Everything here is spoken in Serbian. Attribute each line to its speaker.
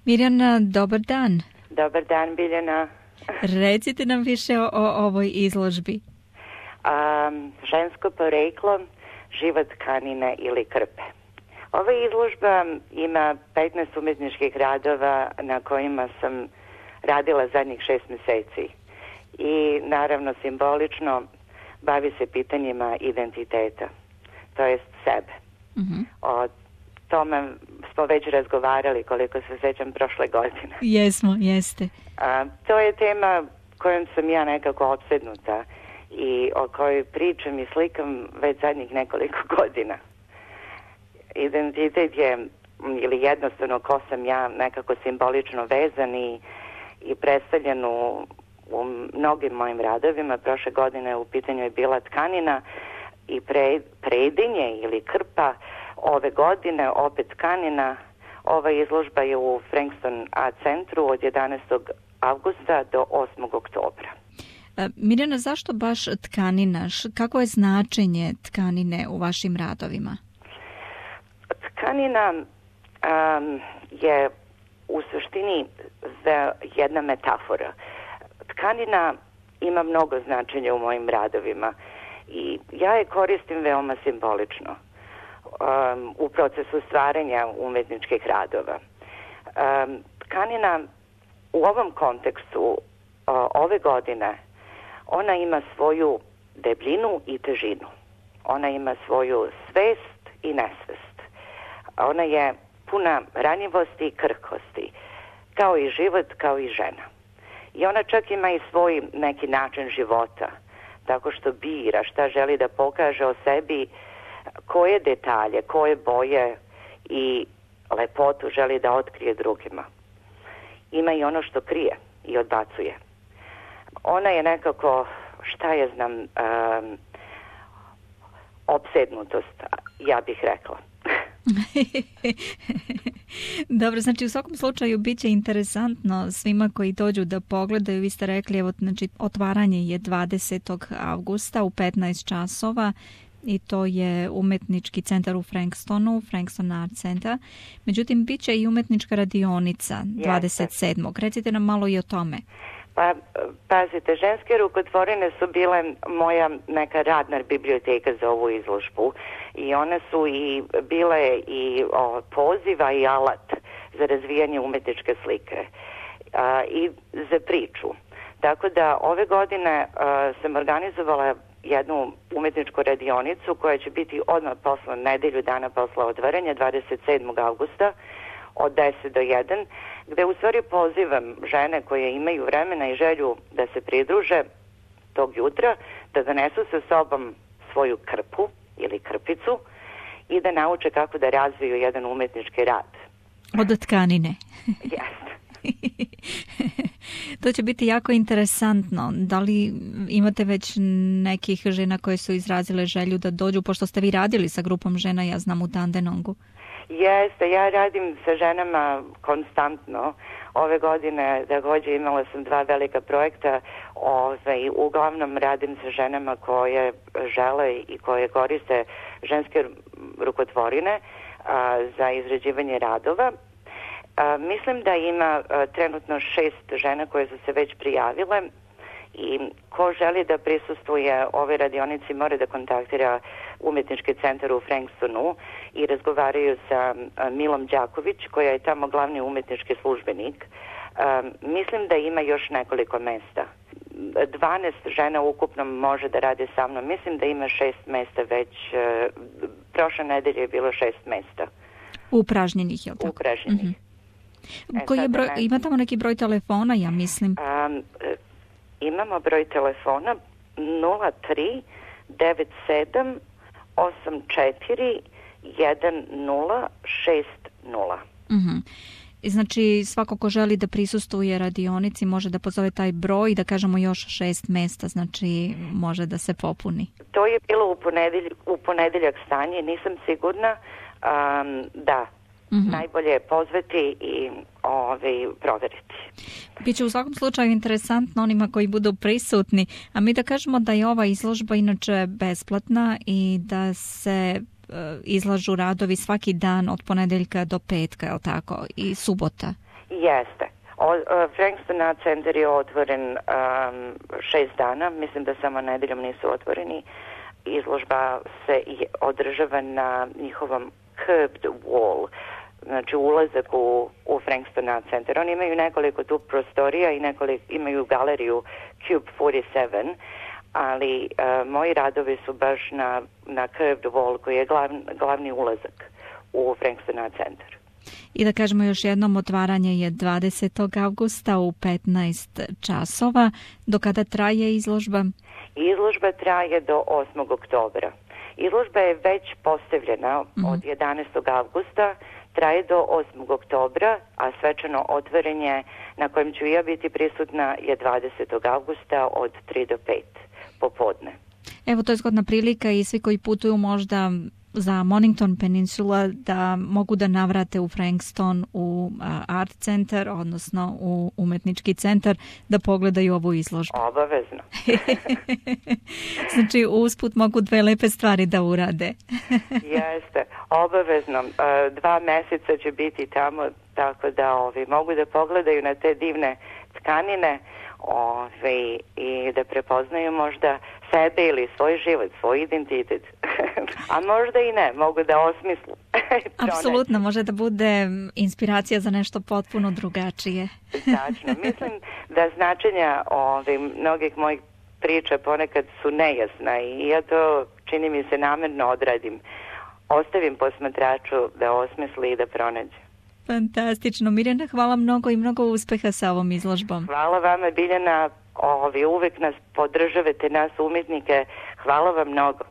Speaker 1: Mirjana, dobar dan.
Speaker 2: Dobar dan, Biljana.
Speaker 1: Recite nam više o ovoj izložbi.
Speaker 2: Žensko poreklo, život tkanine ili krpe. Ova izložba ima 15 umetničkih radova na kojima sam radila zadnjih 6 meseci. I naravno simbolično bavi se pitanjima identiteta, to jest sebe. O tome smo već razgovarali, koliko se sjećam, prošle godine.
Speaker 1: Jesmo, jeste.
Speaker 2: To je tema kojom sam ja nekako opsednuta i o kojoj pričam i slikam već zadnjih nekoliko godina. Identitet je, ili jednostavno ko sam ja, nekako simbolično vezan i predstavljen u mnogim mojim radovima. Prošle godine u pitanju je bila tkanina i predinje ili krpa. Ove godine opet tkanina. Ova izložba je u Frankston Art Centru od 11. avgusta do 8. oktobra.
Speaker 1: Mirjana, zašto baš tkanina? Kako je značenje tkanine u vašim radovima?
Speaker 2: Tkanina je u suštini jedna metafora. Tkanina ima mnogo značenja u mojim radovima i ja je koristim veoma simbolično u procesu stvaranja umetničkih radova. Tkanina u ovom kontekstu ove godine, ona ima svoju debljinu i težinu. Ona ima svoju svest i nesvest. Ona je puna ranjivosti i krhkosti, kao i život, kao i žena. I ona čak ima i svoj neki način života, tako što bira šta želi da pokaže o sebi, koje detalje, koje boje i lepotu želi da otkrije drugima. Ima i ono što krije i odbacuje. Ona je nekako, šta je znam, opsednutost, ja bih rekla.
Speaker 1: Dobro, znači u svakom slučaju bit će interesantno svima koji dođu da pogledaju. Vi ste rekli, evo, znači otvaranje je 20. avgusta u 15 časova i to je umetnički centar u Frankstonu, Frankston Art Center. Međutim, bit će i umetnička radionica 27. Recite nam malo i o tome.
Speaker 2: Pa, pazite, ženske rukotvorine su bile moja neka radna biblioteka za ovu izložbu i one su i bile i poziva i alat za razvijanje umetničke slike i za priču. Tako da ove godine sam organizovala jednu umetničku radionicu koja će biti odmah posle nedelju dana posle otvaranja 27. avgusta od 10 do 1, gde u stvari pozivam žene koje imaju vremena i želju da se pridruže tog jutra, da donesu sa sobom svoju krpu ili krpicu i da nauče kako da razviju jedan umetnički rad.
Speaker 1: Od tkanine.
Speaker 2: Jeste.
Speaker 1: To će biti jako interesantno. Da li imate već nekih žena koje su izrazile želju da dođu, pošto ste vi radili sa grupom žena, ja znam, u Dandenongu?
Speaker 2: Jeste, ja radim sa ženama konstantno. Ove godine također imala sam 2 velika projekta. Uglavnom radim sa ženama koje žele i koje koriste ženske rukotvorine za izrađivanje radova. Mislim da ima trenutno 6 žena koje su se već prijavile i ko želi da prisustvuje ove radionici mora da kontaktira umetnički centar u Frankstonu i razgovaraju sa Milom Đaković, koja je tamo glavni umetnički službenik. Mislim da ima još nekoliko mesta. 12 žena ukupno može da radi sa mnom. Mislim da ima 6 mesta već. Prošle nedelje je bilo 6 mesta.
Speaker 1: Upražnjenih, je li tako?
Speaker 2: Upražnjenih.
Speaker 1: Koji je broj, ima tamo neki broj telefona, ja mislim?
Speaker 2: Imamo broj telefona 03 97 84 1060.
Speaker 1: Znači, svako ko želi da prisustvuje radionici može da pozove taj broj i da kažemo još 6 mesta, znači može da se popuni.
Speaker 2: To je bilo u ponedeljak stanje, nisam sigurna. Da, najbolje je pozvati i proveriti.
Speaker 1: Biće u svakom slučaju interesantno onima koji budu prisutni, a mi da kažemo da je ova izložba inače besplatna i da se izlažu radovi svaki dan od ponedeljka do petka, je li tako, i subota?
Speaker 2: Jeste. Frankston Art Center je otvoren 6 dana, mislim da samo nedeljom nisu otvoreni. Izložba se održava na njihovom curbed wall, znači ulazak u Frankston Art Center. Oni imaju nekoliko tu prostorija i imaju galeriju Cube 47, ali moji radovi su baš na curved wall koji je glavni ulazak u Frankston Art Center.
Speaker 1: I da kažemo još jednom, otvaranje je 20. avgusta u 15 časova. Do kada traje izložba?
Speaker 2: Izložba traje do 8. oktobra. Izložba je već postavljena od 11. avgusta, traje do 8. oktobra, a svečano otvorenje na kojem ću ja biti prisutna je 20. avgusta od 3 do 5 popodne.
Speaker 1: Evo, to je zgodna prilika i svi koji putuju možda za Mornington Peninsula da mogu da navrate u Frankston, u Art Center, odnosno u umetnički centar, da pogledaju ovu izložbu.
Speaker 2: Obavezno.
Speaker 1: Znači, usput mogu dve lepe stvari da urade.
Speaker 2: Jeste, obavezno. 2 meseca će biti tamo, tako da mogu da pogledaju na te divne tkanine i da prepoznaju možda sebe ili svoj život, svoj identitet. A možda i ne, mogu da osmislu.
Speaker 1: Apsolutno, može da bude inspiracija za nešto potpuno drugačije.
Speaker 2: Tačno. Mislim da značenja mnogih mojih priča ponekad su nejasna i ja to, čini mi se, namerno odradim. Ostavim posmatraču da osmisli i da pronađe.
Speaker 1: Fantastično. Mirjana, hvala mnogo i mnogo uspeha sa ovom izložbom.
Speaker 2: Hvala vama, Biljana. Uvek nas podržavate, nas umjetnike. Hvala vam mnogo.